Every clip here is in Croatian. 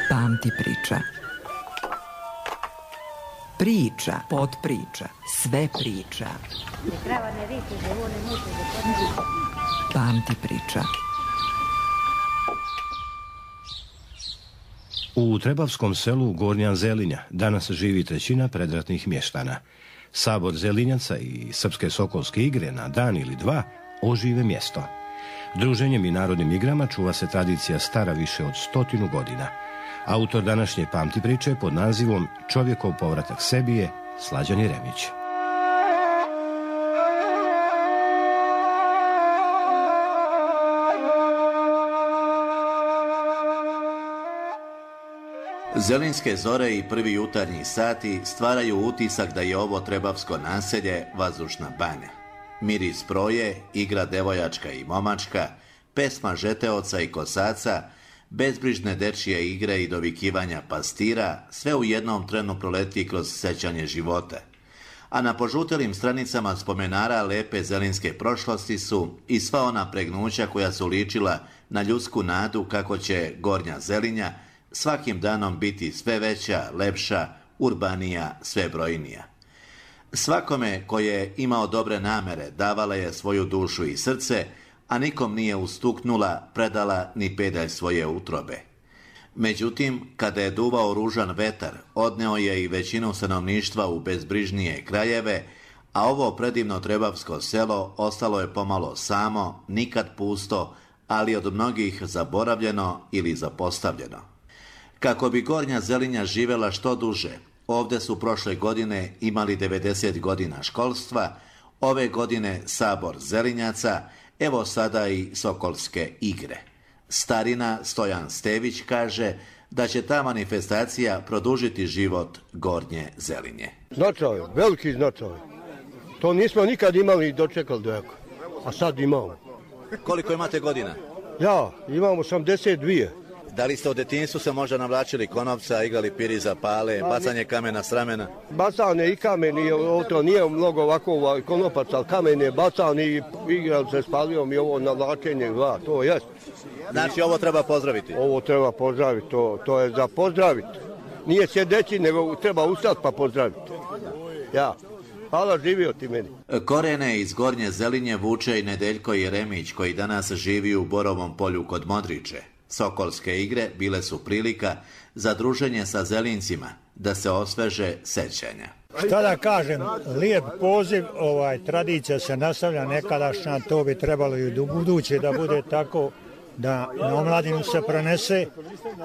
Pamti priča. Priča, podpriča, sve priča. Pamti priča. U Trebavskom selu Gornja Zelinja danas živi trećina predratnih mještana. Sabor Zelinjaca i Srpske sokolske igre na dan ili dva ožive mjesto. Druženjem i narodnim igrama čuva se tradicija stara više od 100 godina. Autor današnje pamti priče pod nazivom Čovjekov povratak sebi je Slađan Jeremić. Zelinske zore i prvi jutarnji sati stvaraju utisak da je ovo trebavsko naselje vazdušna banja. Miris proje, igra devojačka i momačka, pesma žeteoca i kosaca, bezbrižne dečije igre i dovikivanja pastira, sve u jednom trenu proleti kroz sećanje života. A na požutelim stranicama spomenara lepe zelinske prošlosti su i sva ona pregnuća koja su ličila na ljudsku nadu kako će Gornja Zelinja svakim danom biti sve veća, lepša, urbanija, sve brojnija. Svakome ko je imao dobre namere davala je svoju dušu i srce, a nikom nije ustuknula, predala ni pedalj svoje utrobe. Međutim, kada je duvao ružan vetar, odneo je i većinu stanovništva u bezbrižnije krajeve, a ovo predivno trebavsko selo ostalo je pomalo samo, nikad pusto, ali od mnogih zaboravljeno ili zapostavljeno. Kako bi Gornja Zelinja živjela što duže, ovdje su prošle godine imali 90 godina školstva, ove godine Sabor Zelinjaca, evo sada i Sokolske igre. Starina Stojan Stević kaže da će ta manifestacija produžiti život Gornje Zelinje. Značaj, veliki značaj. To nismo nikad imali i dočekali dojako, a sad imamo. Koliko imate godina? Ja, imam 82. Da li ste u detinjstvu se možda navlačili konopca, igrali piri za pale, bacanje kamena s ramena? Bacanje i kamen, to nije mnogo ovako konopac, ali kamen je bacan i igrali se s palijom i ovo navlačenje, to jest. Znači ovo treba pozdraviti? Ovo treba pozdraviti, to je za pozdraviti. Nije sjedeći, nego treba ustati pa pozdraviti. Ja. Hvala, živio ti meni. Korene iz Gornje Zelinje vuče i Nedeljko Jeremić, koji danas živi u Borovom polju kod Modriče. Sokolske igre bile su prilika za druženje sa Zelincima, da se osveže sećanja. Šta da kažem, lijep poziv, tradicija se nastavlja nekadašnja, to bi trebalo i u buduće da bude tako, da na omladinu se prenese,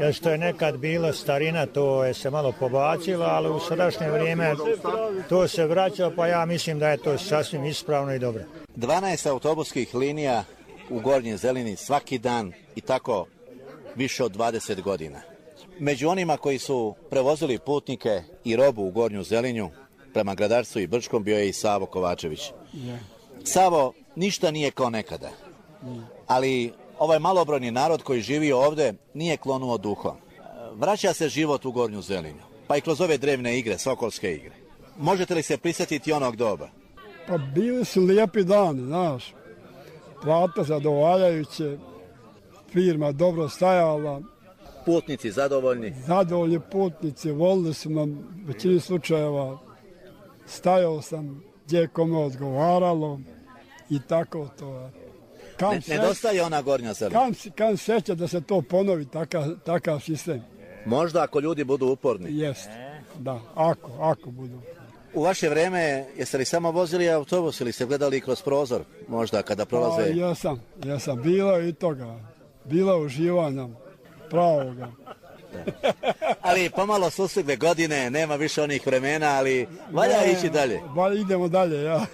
jer što je nekad bilo starina, to je se malo pobacilo, ali u sadašnje vrijeme to se vraća, pa ja mislim da je to sasvim ispravno i dobro. 12 autobuskih linija u Gornjoj Zelini svaki dan i tako više od 20 godina. Među onima koji su prevozili putnike i robu u Gornju Zelinju prema Gradarstvu i Brčkom bio je i Savo Kovačević. Savo, ništa nije kao nekada, ali ovaj malobrojni narod koji živi ovdje nije klonuo duhom. Vraća se život u Gornju Zelinju, pa i kroz ove drevne igre, Sokolske igre. Možete li se prisjetiti onog doba? Pa bili su lijepi dani, znaš. Plata zadovoljavajuće, firma dobro stajala. Putnici zadovoljni? Zadovoljni putnici, volili su nam većini slučajeva. Stajao sam gdje kome odgovaralo i tako to. Nedostaje ona Gornja Zelina. Kam seća da se to ponovi, takav sistem. Možda ako ljudi budu uporni. Jeste, da, ako budu. U vaše vrijeme jeste li samo vozili autobus ili ste gledali kroz prozor možda kada prolaze? Jesam, bilo i toga. Bilo uživanja pravoga. Ali pomalo su stigle godine, nema više onih vremena, ali valja ići dalje. Idemo dalje, ja.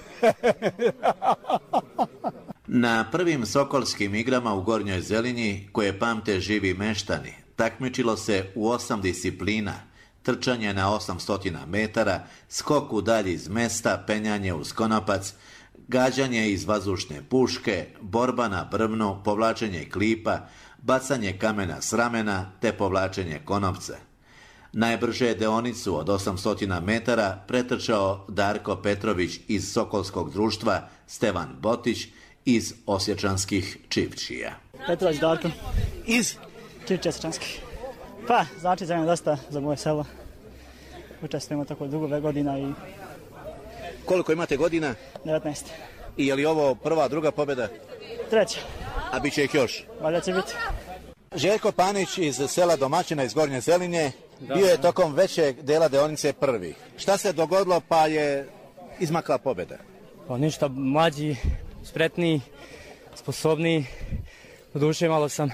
Na prvim Sokolskim igrama u Gornjoj Zelinji, koje pamte živi meštani, takmičilo se u 8 disciplina: trčanje na 800 metara, skok u dalji iz mesta, penjanje uz konopac, gađanje iz vazdušne puške, borba na brvnu, povlačenje klipa, bacanje kamena s ramena te povlačenje konopca. Najbrže deonicu od 800 metara pretrčao Darko Petrović iz Sokolskog društva, Stevan Botić iz Osječanskih Čivčija. Petrović Darko. Iz? Čivčija Osječanskih. Pa, znači za mene dosta za moje selo. Učestvujemo tako dugo godina i... Koliko imate godina? 19. I je li ovo prva, druga pobjeda? Treća. A bit će ih još? Valjda će biti. Željko Panić iz sela Domaćina iz Gornje Zelinje bio je tokom većeg dela deonice prvi. Šta se dogodilo pa je izmakla pobjeda? Pa ništa, mlađi, spretniji, sposobniji. U duše malo sam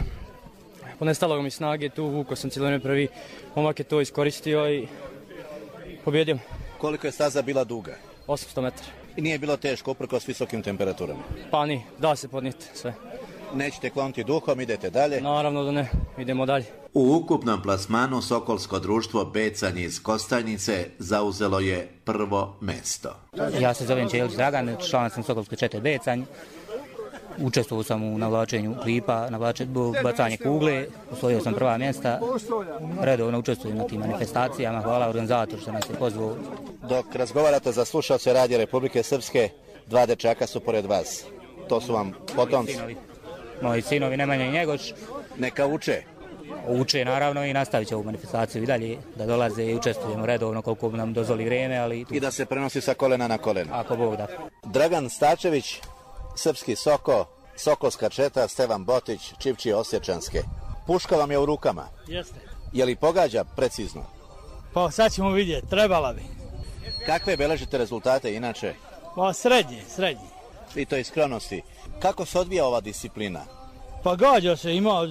ponestalo mi snage, tu vuko sam cijelo vrijeme prvi. Momak je to iskoristio i pobjedio. Koliko je staza bila duga? 800 metara. I nije bilo teško uprkos visokim temperaturama? Pa ni, da se podnijeti sve. Nećete klonuti duhom, idete dalje? Naravno da ne, idemo dalje. U ukupnom plasmanu Sokolsko društvo Becanje iz Kostajnice zauzelo je prvo mesto. Ja se zovem Čelić Dragan, član sam Sokolske čete Becanj. Učestvovao sam u navlačenju klipa, bacanje kugle, osvojio sam prva mjesta. Redovno učestvujem na tim manifestacijama, hvala organizatoru što nas je pozvao. Dok razgovarate za slušalce Radija Republike Srpske, 2 dečaka su pored vas. To su vam potomci? Moji sinovi Nemanja i Njegoš. Neka uče? Uče naravno i nastavit će ovu manifestaciju i dalje da dolaze i učestvujemo redovno koliko nam dozvoli vrijeme. Ali i da se prenosi sa kolena na koleno? Ako Bog da. Dragan Stačević, Srpski Soko, Sokolska četa, Stevan Botić, Čivčije Osječanske. Puška vam je u rukama. Jeste. Je li pogađa precizno? Pa sad ćemo vidjeti, trebala bi. Kakve beležite rezultate inače? Pa srednji. I to iz skronosti. Kako se odvija ova disciplina? Pa gađa se, ima,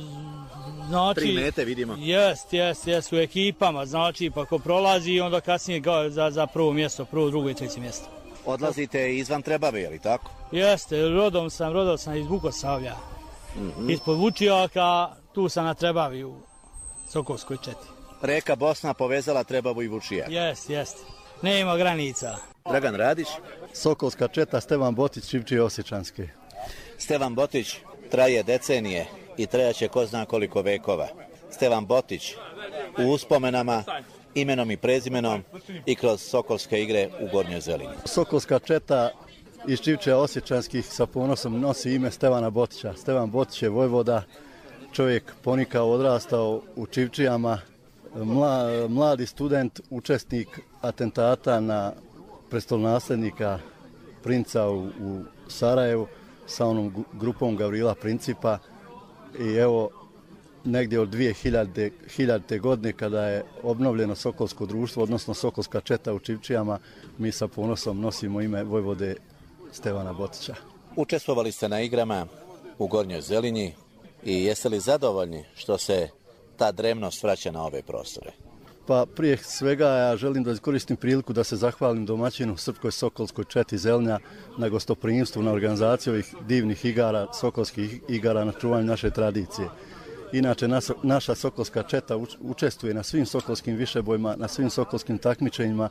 znači... 3 mete vidimo. Jest, u ekipama, znači, pa ko prolazi, onda kasnije za prvo mjesto, prvo, drugo i treće mjesto. Odlazite izvan Trebave, je li tako? Jeste, rodom sam iz Vukosavlja. Ispod Vučijaka, tu sam na Trebavi u Sokolskoj četi. Reka Bosna povezala Trebavu i Vučijak. Jest. Nema granica. Dragan Radić. Sokolska četa, Stevan Botić, Čivčije Osječanske. Stevan Botić traje decenije i trajaće ko zna koliko vekova. Stevan Botić u uspomenama, imenom i prezimenom i kroz Sokolske igre u Gornjoj Zelinji. Sokolska četa iz Čivčija Osječanskih sa ponosom nosi ime Stevana Botića. Stevan Botić je vojvoda, čovjek ponikao, odrastao u Čivčijama, mladi student, učesnik atentata na prestolonaslednika princa u Sarajevu sa onom grupom Gavrila Principa i evo negdje od 2000. godine kada je obnovljeno Sokolsko društvo, odnosno Sokolska četa u Čivčijama, mi sa ponosom nosimo ime vojvode Stevana Botića. Učestvovali ste na igrama u Gornjoj Zelinji i jeste li zadovoljni što se ta drevnost vraća na ove prostore? Pa prije svega ja želim da iskoristim priliku da se zahvalim domaćinu Srpskoj Sokolskoj četi Zelinja na gostoprimstvu, na organizaciju ovih divnih igara, sokolskih igara, na čuvanju naše tradicije. Inače, naša Sokolska četa učestvuje na svim sokolskim višebojima, na svim sokolskim takmičenjima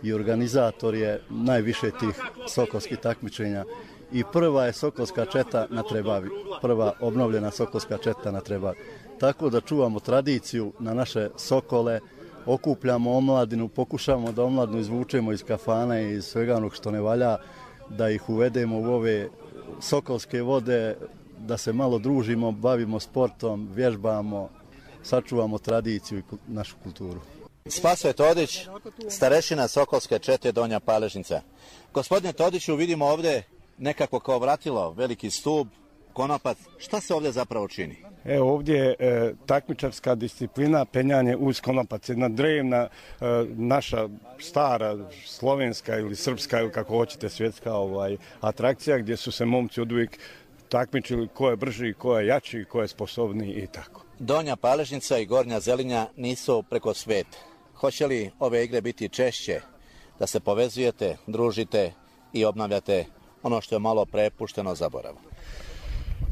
i organizator je najviše tih sokolskih takmičenja. I prva je Sokolska četa na Trebavi, prva obnovljena Sokolska četa na Trebavi. Tako da čuvamo tradiciju na naše sokole, okupljamo omladinu, pokušamo da omladinu izvučemo iz kafana i iz svega onog što ne valja, da ih uvedemo u ove sokolske vode, da se malo družimo, bavimo sportom, vježbamo, sačuvamo tradiciju i našu kulturu. Spasoje Todić, starešina Sokolske čete Donja Paležnica. Gospodine Todiću, vidimo ovdje nekako kao vratilo, veliki stup, konopac. Šta se ovdje zapravo čini? Evo ovdje je takmičarska disciplina, penjanje uz konopac. Jedna drevna, naša stara slovenska ili srpska ili kako hoćete svjetska atrakcija gdje su se momci oduvijek takmičili ko je brži, ko je jači, ko je sposobniji i tako. Donja Paležnica i Gornja Zelinja nisu preko sveta. Hoće li ove igre biti češće, da se povezujete, družite i obnavljate ono što je malo prepušteno zaboravu?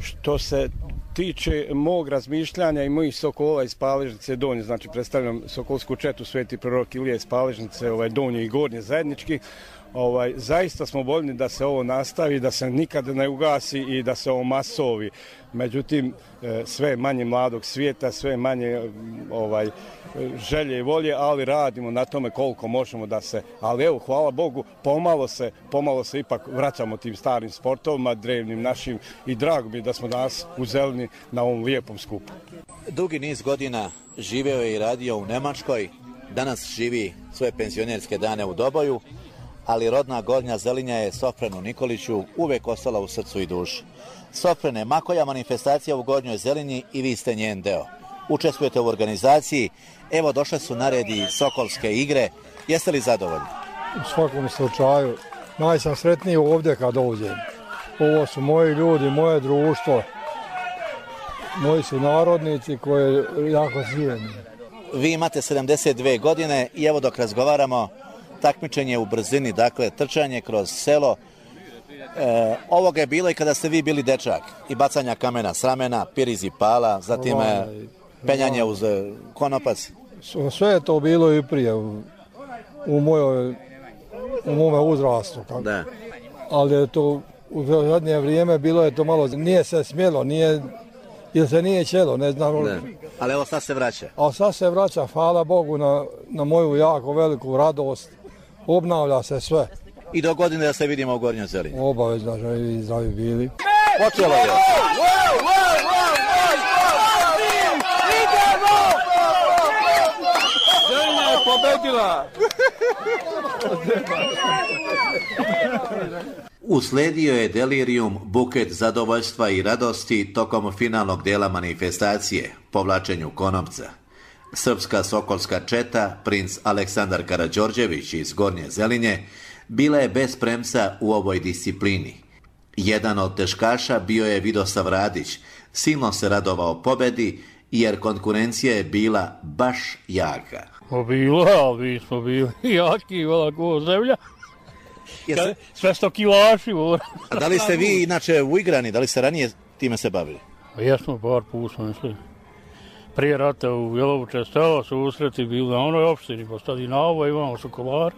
Što se tiče mog razmišljanja i mojih sokola iz Paležnice Donje, znači predstavljam Sokolsku četu Sveti prorok Ilija iz Paležnice, Donje i Gornje zajednički, Zaista smo voljni da se ovo nastavi, da se nikad ne ugasi i da se ovo masovi. Međutim, sve manje mladog svijeta, sve manje želje i volje, ali radimo na tome koliko možemo da se, ali evo, hvala Bogu, pomalo se ipak vraćamo tim starim sportovima, drevnim našim, i drago mi je da smo danas u Zelini na ovom lijepom skupu. Dugi niz godina živeo je i radio u Nemačkoj, danas živi svoje penzionerske dane u Doboju, ali rodna Gornja Zelinja je Sofrenu Nikoliću uvek ostala u srcu i duši. Sofrene, ma koja manifestacija u Gornjoj Zelinji i vi ste njen deo. Učestvujete u organizaciji, evo došle su na red i Sokolske igre, jeste li zadovoljni? U svakom slučaju, najsam sretniji ovdje kad dođem. Ovo su moji ljudi, moje društvo, moji su narodnici koji jako zvijeni. Vi imate 72 godine i evo dok razgovaramo, takmičenje u brzini, dakle trčanje kroz selo. Ovoga je bilo i kada ste vi bili dečak, i bacanja kamena s ramena, piriz i pala, zatim penjanje uz konopac. Sve je to bilo i prije u mome uzrastu. Da. Ali je to u zadnje vrijeme bilo je to malo, nije se smjelo, jer se nije ćelo, ne znam. Da. Ali evo sad se vraća. A sad se vraća, hvala Bogu, na moju jako veliku radost. Obnavlja se sve. I do godine da se vidimo u Gornjoj Zelini. Obavezno živi i zdravi bili. Počelo je. Zelina je pobedila. Usledio je delirijum, buket zadovoljstva i radosti tokom finalnog dela manifestacije, povlačenju konopca. Srpska sokolska četa, princ Aleksandar Karađorđević iz Gornje Zelinje, bila je bez premca u ovoj disciplini. Jedan od teškaša bio je Vidosav Radić, silno se radovao pobedi, jer konkurencija je bila baš jaka. Mi smo bili jaki, velako zemlja. Sve 100 kilaši. A da li ste vi inače uigrani, da li ste ranije time se bavili? Jesmo, par put smo išli. Prije rata u Jelovuče stela susreti bili na onoj opštini, pa sad i na ovo imamo sokolar.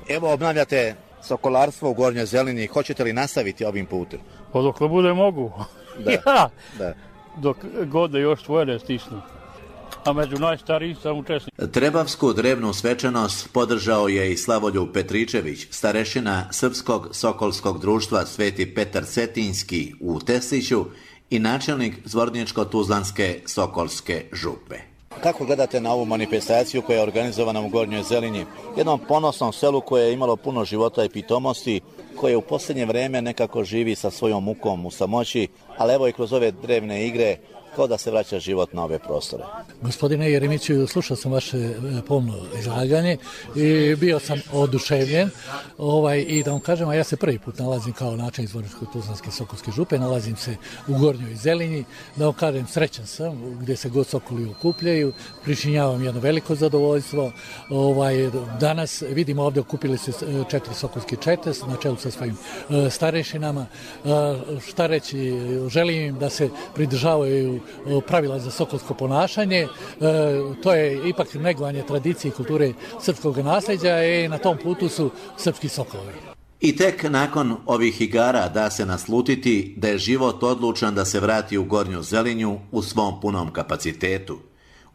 Evo obnavljate sokolarstvo u Gornjoj Zelini, hoćete li nastaviti ovim putem? Pa dok ne bude mogu. Da. Da. Dok god da još tvoje ne stisnu. A među najstarijih sam učesnik. Trebavsku drevnu svečanost podržao je i Slavoljub Petričević, starešina Srpskog sokolskog društva Sveti Petar Cetinjski u Tesliću i načelnik Zvorničko-Tuzlanske sokolske župe. Kako gledate na ovu manifestaciju koja je organizovana u Gornjoj Zelinji, jednom ponosnom selu koje je imalo puno života i pitomosti, koje u posljednje vrijeme nekako živi sa svojom mukom u samoći, ali evo i kroz ove drevne igre kao da se vraća život na ove prostore. Gospodine Jeremiću, slušao sam vaše pomno izlaganje i bio sam oduševljen i da vam kažem, a ja se prvi put nalazim kao načelnik Zvorničko-Tuzlanske sokolske župe, nalazim se u Gornjoj Zelinji, da vam kažem, srećan sam gdje se god sokoli okupljaju, pričinjavam jedno veliko zadovoljstvo. Danas vidimo ovdje okupili se 4 sokolske čete na čelu sa svojim starešinama. Šta reći, želim im da se pridržavaju pravila za sokolsko ponašanje. To je ipak negovanje tradicije i kulture srpskog nasljeđa i na tom putu su srpski sokolovi. I tek nakon ovih igara da se naslutiti da je život odlučan da se vrati u Gornju Zelinju u svom punom kapacitetu.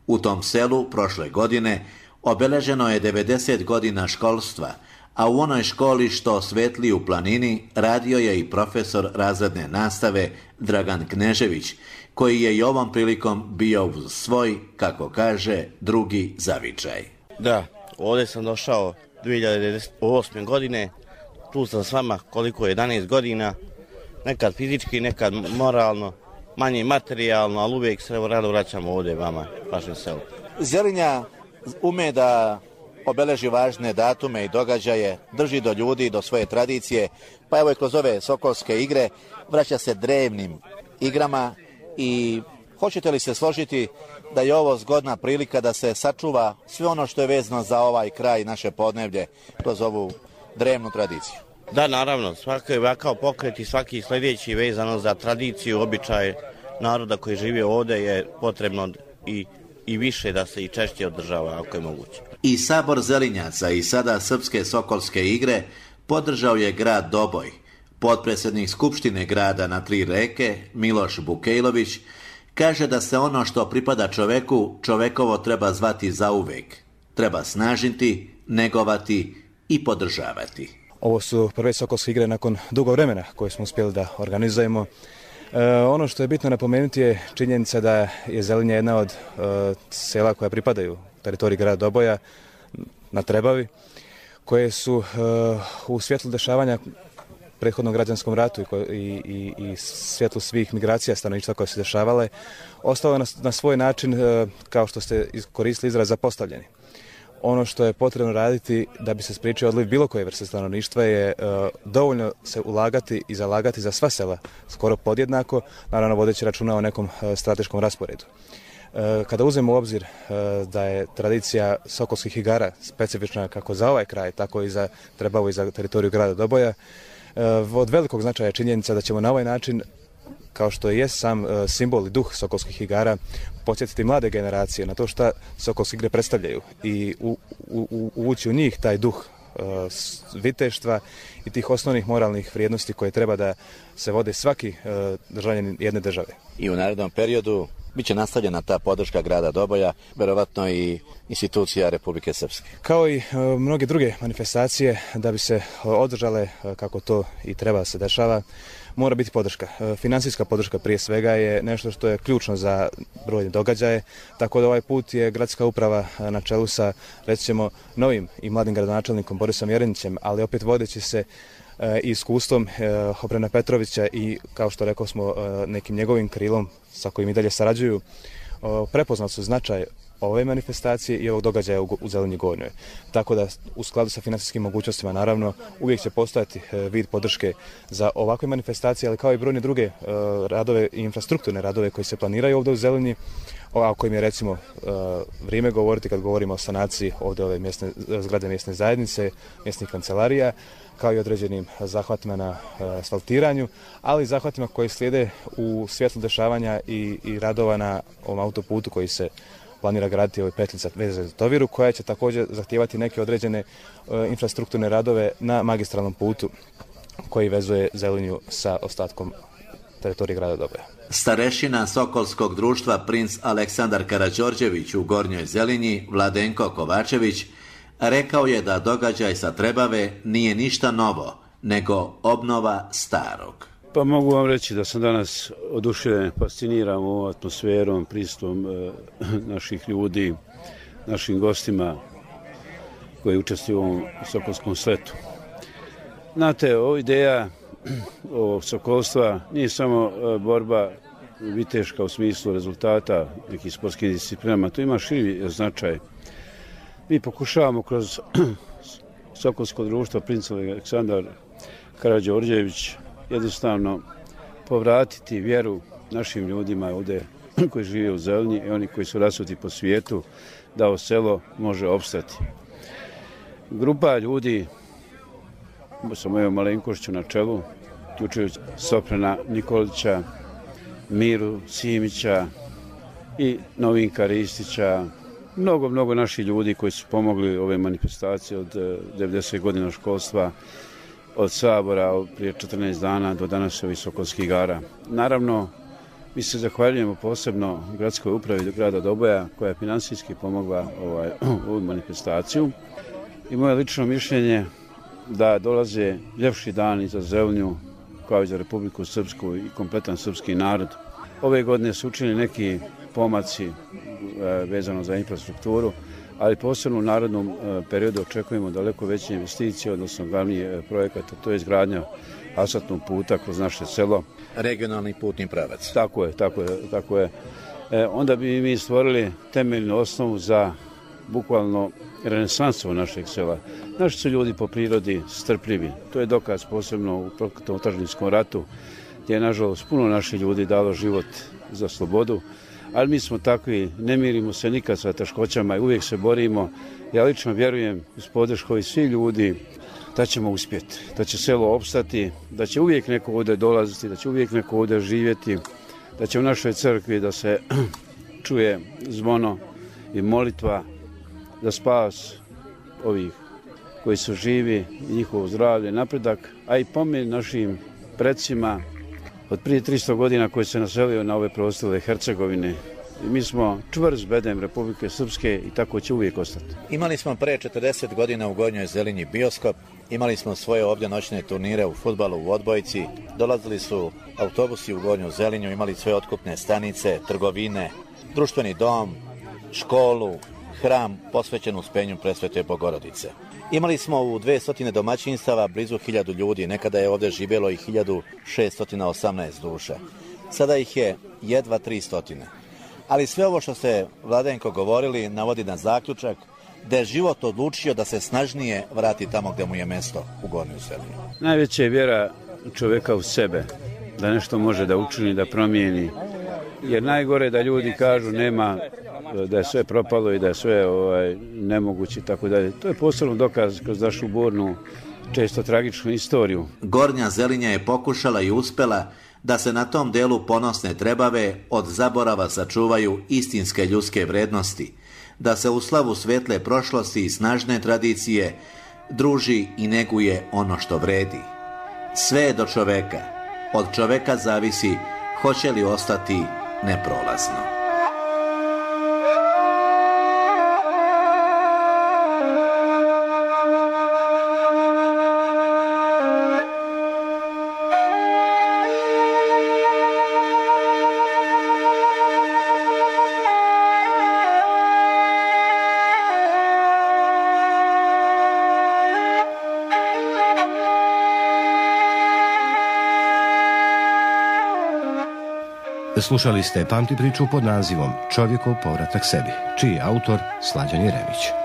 U tom selu prošle godine obeleženo je 90 godina školstva, a u onoj školi što svetli u planini radio je i profesor razredne nastave Dragan Knežević, koji je i ovom prilikom bio uz svoj, kako kaže, drugi zavičaj. Da, ovdje sam došao 2008. godine, tu sam s vama koliko je 11 godina, nekad fizički, nekad moralno, manje materijalno, ali uvijek se rado vraćamo ovdje vama, vašem selu. Zelinja ume da obeleži važne datume i događaje, drži do ljudi, do svoje tradicije, pa evo i kroz ove sokolske igre vraća se drevnim igrama i hoćete li se složiti da je ovo zgodna prilika da se sačuva sve ono što je vezano za ovaj kraj naše podneblje kroz ovu drevnu tradiciju? Da, naravno, svaki ovakav pokret i svaki sljedeći vezano za tradiciju, običaj naroda koji živi ovdje je potrebno i više da se i češće održava ako je moguće. I Sabor Zelinjaca i sada Srpske sokolske igre podržao je grad Doboj. Potpredsjednik Skupštine grada na Tri reke, Miloš Bukejlović, kaže da se ono što pripada čoveku, čovekovo treba zvati zauvek. Treba snažiti, negovati i podržavati. Ovo su prve Sokolske igre nakon dugo vremena koje smo uspjeli da organizujemo. Ono što je bitno napomenuti je činjenica da je Zelinje jedna od sela koja pripadaju teritoriji grada Doboja na Trebavi, koje su u svjetlu dešavanja prethodnom građanskom ratu i svjetlu svih migracija stanovništva koje se dešavale, ostalo na svoj način, kao što ste koristili izraz, zapostavljeni. Ono što je potrebno raditi da bi se spriječio odliv bilo koje vrste stanovništva je dovoljno se ulagati i zalagati za sva sela, skoro podjednako, naravno vodeći računa o nekom strateškom rasporedu. Kada uzmemo u obzir da je tradicija Sokolskih igara specifična kako za ovaj kraj, tako i za Trebavu i za teritoriju grada Doboja, od velikog značaja je činjenica da ćemo na ovaj način, kao što je sam simbol i duh Sokolskih igara, podsjetiti mlade generacije na to šta Sokolske igre predstavljaju i uvući u njih taj duh viteštva i tih osnovnih moralnih vrijednosti koje treba da se vode svaki državljanin jedne države. I u narednom periodu biće nastavljena ta podrška grada Doboja, verovatno i institucija Republike Srpske. Kao i mnoge druge manifestacije, da bi se održale kako to i treba se dešava, mora biti podrška. Finansijska podrška prije svega je nešto što je ključno za brojne događaje, tako da ovaj put je gradska uprava na čelu sa, reći ćemo, novim i mladim gradonačelnikom Borisom Jerenićem, ali opet vodeći se iskustvom Obrena Petrovića i, kao što rekao smo, nekim njegovim krilom sa kojim i dalje sarađuju, prepoznali su značaj ove manifestacije i ovog događaja u Zelinji Gornjoj. Tako da, u skladu sa financijskim mogućnostima, naravno, uvijek će postojati vid podrške za ovakve manifestacije, ali kao i brojne druge radove i infrastrukturne radove koji se planiraju ovdje u Zelinji, o kojim je, recimo, vrijeme govoriti kad govorimo o sanaciji ovdje ove zgrade mjesne zajednice, mjesnih kancelarija, kao i određenim zahvatima na asfaltiranju, ali i zahvatima koji slijede u svjetlu dešavanja i radova na ovom autoputu koji se planira graditi ovoj petljica veze za Toviru, koja će također zahtijevati neke određene infrastrukturne radove na magistralnom putu koji vezuje Zelinju sa ostatkom teritorije grada Doboja. Starešina Sokolskog društva princ Aleksandar Karađorđević u Gornjoj Zelinji, Vladenko Kovačević, rekao je da događaj sa Trebave nije ništa novo, nego obnova starog. Pa mogu vam reći da sam danas oduševljen, fasciniran ovom atmosferom, pristupom naših ljudi, našim gostima koji učestvuju u ovom Sokolskom sletu. Znate, ova ideja ovog sokolstva nije samo borba viteška u smislu rezultata nekih sportskih disciplinama, to ima širi značaj. Mi pokušavamo kroz Sokolsko društvo princ Aleksandar Karađorđević jednostavno povratiti vjeru našim ljudima ovdje koji žive u Zelinji i oni koji su rasuti po svijetu, da ovo selo može opstati. Grupa ljudi sa mojom malenkošću na čelu, uključujući Soprana Nikolića, Miru Simića i Novinka Ristića, mnogo naših ljudi koji su pomogli ove manifestacije od 90 godina školstva, od Sabora prije 14 dana do danas ovih Sokolskih igara. Naravno, mi se zahvaljujemo posebno gradskoj upravi grada Doboja koja je finansijski pomogla ovu manifestaciju. I moje lično mišljenje da dolaze ljepši dani za Zelinju kao i za Republiku Srpsku i kompletan srpski narod. Ove godine su učinili neki pomaci vezano za infrastrukturu, ali posebno u narodnom periodu očekujemo daleko veće investicije, odnosno glavni projekat, to je izgradnja asfaltnog puta kroz naše selo. Regionalni putni pravac. Tako je. Onda bi mi stvorili temeljnu osnovu za bukvalno renesansu našeg sela. Naši su ljudi po prirodi strpljivi. To je dokaz posebno u prokletom otadžbinskom ratu, gdje je, nažalost, puno naših ljudi dalo život za slobodu, ali mi smo takvi, ne mirimo se nikad sa teškoćama i uvijek se borimo. Ja lično vjerujem uz podršku i svih ljudi da ćemo uspjeti, da će selo opstati, da će uvijek neko ovdje dolaziti, da će uvijek neko ovdje živjeti, da će u našoj crkvi da se čuje zvono i molitva za spas ovih koji su živi, njihovo zdravlje, napredak, a i pomen našim predsima od prije 300 godina koji se naselio na ove prostore Hercegovine. I mi smo čvrst bedem Republike Srpske i tako će uvijek ostati. Imali smo pre 40 godina u Gornjoj Zelinji bioskop, imali smo svoje ovdje noćne turnire u fudbalu u odbojci, dolazili su autobusi u Gornju Zelinju, imali svoje otkupne stanice, trgovine, društveni dom, školu, hram posvećen uspenju Presvete Bogorodice. Imali smo u 200 domaćinstava blizu 1000 ljudi, nekada je ovdje živjelo i 1618 duša. Sada ih je jedva 300. Ali sve ovo što ste, Vladenko, govorili navodi na zaključak da je život odlučio da se snažnije vrati tamo gdje mu je mesto, u Gornju Zelinju. Najveća je vjera čovjeka u sebe, da nešto može da učini, da promijeni. Jer najgore da ljudi kažu nema, da je sve propalo i da je sve nemoguće i tako dalje. To je posebno dokaz kroz našu burnu, često tragičnu istoriju. Gornja Zelinja je pokušala i uspela da se na tom delu ponosne Trebave od zaborava sačuvaju istinske ljudske vrednosti, da se u slavu svetle prošlosti i snažne tradicije druži i neguje ono što vredi. Sve je do čoveka. Od čoveka zavisi hoće li ostati neprolazno. Slušali ste Pamti priču pod nazivom Čovjekov povratak sebi, čiji je autor Slađan Jeremić.